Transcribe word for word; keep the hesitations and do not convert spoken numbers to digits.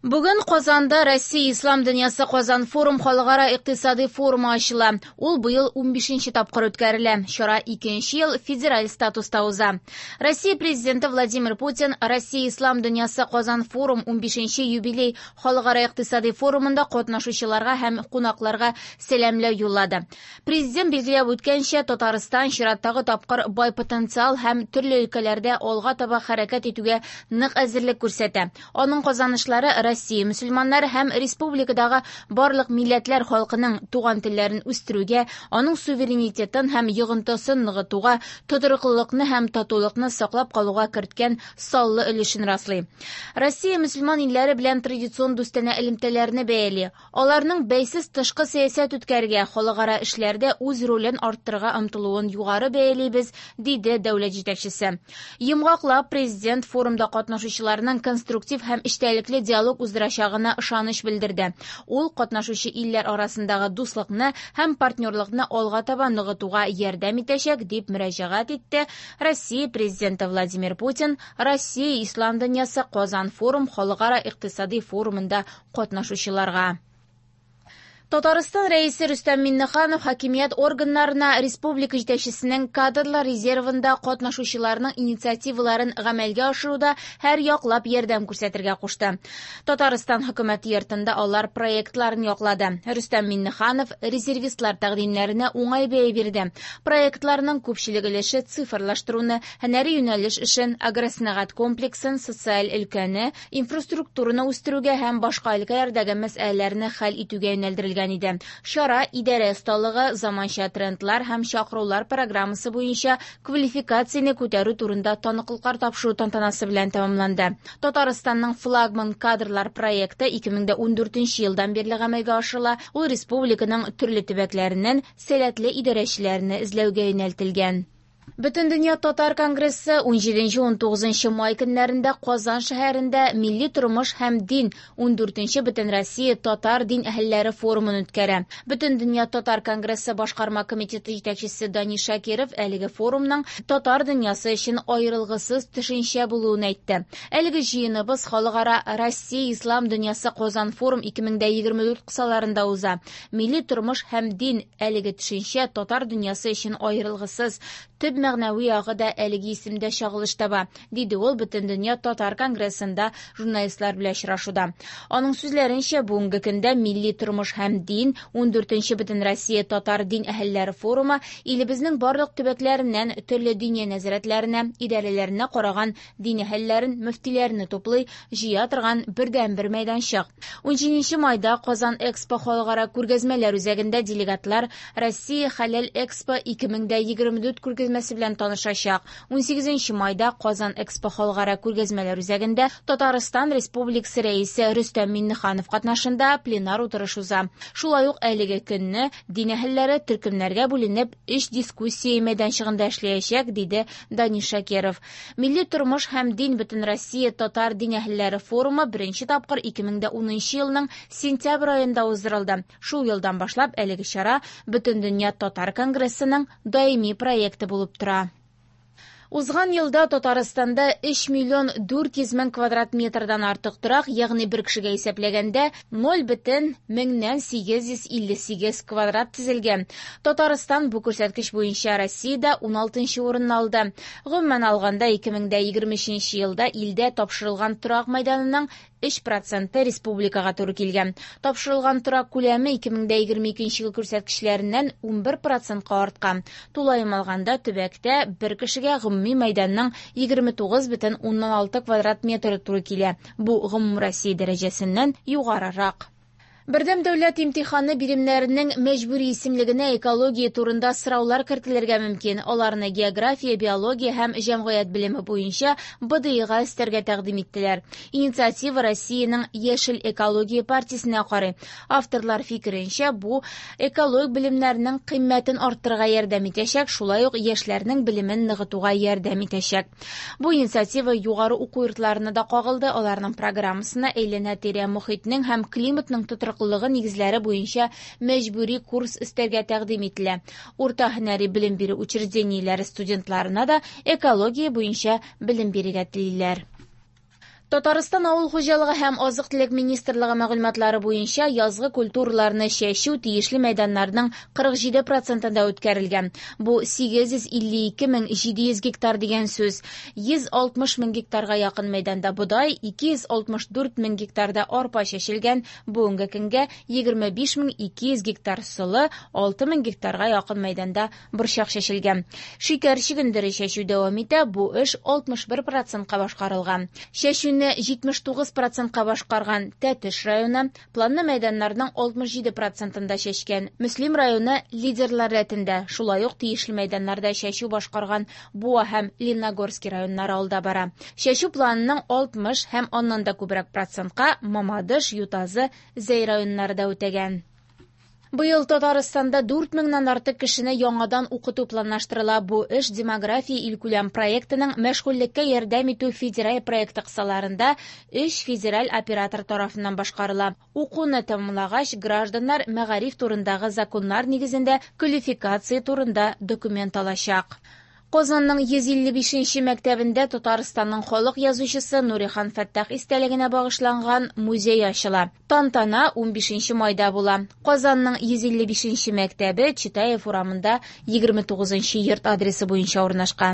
Бүген Казанда Россия Ислам дөньясы Казан форум халыкара икътисади форумы ачыла. Ул быел унбишенче тапкыр үткәрелә. Чара икенче ел федераль статуста уза. Россия президенты Владимир Путин Россия Ислам дөньясы Казан форум унбишенче юбилей халыкара икътисади форумында катнашучыларга һәм кунакларга сәламләү юллады. Президент билгеләп үткәнчә, Татарстан чираттагы тапкыр бай потенциал һәм төрле өлкәләрдә алга таба хәрәкәт итүгә нык әзерлек күрсәтә. Аның казанышлары Россия мөселманнары һәм республикадагы барлык милләтләр халкының туган телләрен үстерүгә, аның суверенитетын һәм йогынтысын ныгытуга, тотрыклылыкны һәм татулыкны саклап калуга керткән саллы өлешен раслый. Россия мөселман илләре белән традицион дустанә элемтәләрне бәяли. Аларның бәйсез тышкы сәясәт үткәрергә, халыкара эшләрдә үз ролен арттырырга омтылуын югары бәялибез, диде дәүләт җитәкчесе. Йомгаклап, президент форумда катнашучыларның конструктив һәм эчтәлекле диалог уздырачагына ышаныч белдерде. Ул катнашучы илләр арасындагы дуслыкны һәм партнерлыкны алга таба ныгытуга ярдәм итәчәк, дип мөрәҗәгать итте Россия президенты Владимир Путин Россия Ислам дөньясы Казан форум халыкара икътисади форумында катнашучыларга. Татарстан рәисе Рөстәм Миңнеханов хакимият органнарына республика җитәкчесенең кадрлар резервында катнашучыларның инициативаларын гамәлгә ашыруда һәр яклап ярдәм күрсәтергә кушты. Татарстан хөкүмәте йортында алар проектларын яклады. Рөстәм Миңнеханов резервистлар тәкъдимнәренә уңай бәя бирде. Проектларның күпчелек өлеше цифрлаштыруны, һөнәри юнәлеш эшен, агросәнәгать комплексын, социаль өлкәне, инфраструктураны үстерүгә һәм башка өлкәләрдәге мәсьәләләрне хәл итүгә юнәлдерелгән иде. Чара идарә осталыгы, заманча трендлар һәм чакырулар программасы буенча квалификацияне күтәрү турында таныклыклар тапшыру тантанасы белән тәмамланды. Татарстанның флагман кадрлар проекты ике мең дә ундүртенче елдан бирле гамәлгә ашырыла. Ул республиканың төрле төбәкләреннән сәләтле идарәчеләрне эзләүгә юнәлтелгән. Бөтендөнья татар конгрессы унҗиденче унтугызынчы май көннәрендә Казан шәһәрендә милли тормыш һәм дин ундүртенче Бөтенроссия татар дин әһелләре форумын үткәрә. Бөтендөнья татар конгрессы башкарма комитеты җитәкчесе Данис Шакиров әлеге форумның татар дөньясы өчен аерылгысыз төшенчә булуын әйтте. Әлеге җыеныбыз халыкара Россия Ислам дөньясы Казан форум ике мең дә егерме дүрт кысаларында уза. Милли тормыш һәм дин әлеге төшенчә татар дөньясы өчен аерылгысыз төп мәгънәви ягы да әлеге исемдә чагылыш таба, диде ул Бөтендөнья татар конгрессында журналистлар белән очрашуда. Аның сүзләренчә, бүгенге көндә милли тормыш һәм дин ундүртенче Бөтенроссия татар дин әһелләре форумы илебезнең барлык төбәкләреннән төрле диния нәзарәтләренә, идарәләренә караган дин әһелләрен, мөфтиләрне туплый, җыя торган бердәнбер мәйданчык. Унҗиденче майда Казан Экспо халыкара күргәзмәләр үзәгендә делегатлар Россия Хәләл Экспо ике мең дә егерме дүрт күргәзмәсе белән танышачак. Унсигезенче майда Казан Экспо халыкара күргәзмәләр үзәгендә Татарстан Республикасы рәисе Рөстәм Миңнеханов катнашында пленар утырыш уза. Шулай ук әлеге көнне дин әһелләре төркемнәргә бүленеп өч дискуссия мәйданчыгында эшләячәк, диде Данис Шакиров. Милли тормыш һәм дин Бөтенроссия татар дин әһелләре форумы беренче тапкыр ике мең дә унынчы елның сентябрь аенда уздырылды. Шул елдан башлап әлеге чара Бөтендөнья татар конгрессының даими проекты булып тора. Узган елда Татарстанда өч миллион дүрт йөз мең квадрат метрдан артык торак, ягъни бер кешегә исәпләгәндә ноль бөтен меңнән сигез йөз илле сигез квадрат төзелгән. Татарстан бу күрсәткеч буенча Россиядә уналтынчы урынны алды. Гомумән алганда ике мең дә егерме өченче елда илдә тапшырылган торак мәйданының өч проценты республикага туры килгән. Тапшырылган торак күләме ике мең дә егерме икенче ел күрсәткечләреннән унбер процентка арткан. Тулаем алганда төбәктә бер кешегә гомуми мәйданның егерме тугыз бөтен уннан алты квадрат метры туры килә. Бу гомумроссия дәрәҗәсеннән югарырак. Бердәм дәүләт имтиханы биремнәренең мәҗбүри исемлегенә экология турында сораулар кертелергә мөмкин. Аларны география, биология һәм җәмгыять белеме буенча Б Д Ига өстәргә тәкъдим иттеләр. Инициатива Россиянең Яшел экология партиясенә карый. Авторлар фикеренчә, бу экологик белемнәрнең кыйммәтен арттырырга ярдәм итәчәк, шулай ук яшьләрнең белемен ныгытуга ярдәм итәчәк. Бу инициатива югары уку йортларына да кагылды. Аларның программасына әйләнә-тирә мохитнең һәм климатның тотрыклылыгы нигезләре буенча мәҗбүри курс өстәргә тәкъдим ителә. Урта һөнәри белем бирү учреждениеләре студентларына да экология буенча белем бирергә телиләр. Татарстан авыл хуҗалыгы һәм азык-төлек министрлыгы мәгълүматлары буенча язгы культураларны чәчү тиешле мәйданнарның кырык җиде процентында үткәрелгән. Бу сигез йөз илле ике мең җиде йөз гектар дигән сүз. Йөз алтмыш мең гектарга якын мәйданда бодай, ике йөз алтмыш дүрт мең гектарда арпа чәчелгән. Бүгенге көнгә егерме биш мең ике йөз гектар солы, алты мең гектарга якын мәйданда борчак чәчелгән. Шикәр чөгендере чәчү дәвам итә, бу эш алтмыш бер процентка башкарылган. Чәчүне җитмеш тугыз процентка башкарган Тәтеш районы планлы мәйданнарның алтмыш җиде процентында чәчкән. Мөслим районы лидерлар рәтендә, шулай ук тиешле мәйданнарда чәчү башкарган Буа һәм Лениногорский районнары алда бара. Чәчү планының алтмыш һәм аннан да күбрәк процентка Мамадыш, Ютазы, Зәй районнары да үтәгән. Быел Татарстанда дүрт меңнән артык кешене яңадан укыту планлаштырыла. Бу эш демография илкүләм проектының мәшгульлеккә ярдәм итү федераль проекты кысаларында өч федераль оператор тарафыннан башкарыла. Укуны тәмамлагач, гражданнар мәгариф турындагы законнар нигезендә квалификация турында документ алачак. Казанның йөз илле бишенче мәктәбендә Татарстанның халык язучысы Нурихан Фәттах истәлегенә багышланган музей ачыла. Тантана унбишенче майда була. Казанның йөз илле бишенче мәктәбе Читаев урамында егерме тугызынчы йорт адресы буенча урнашкан.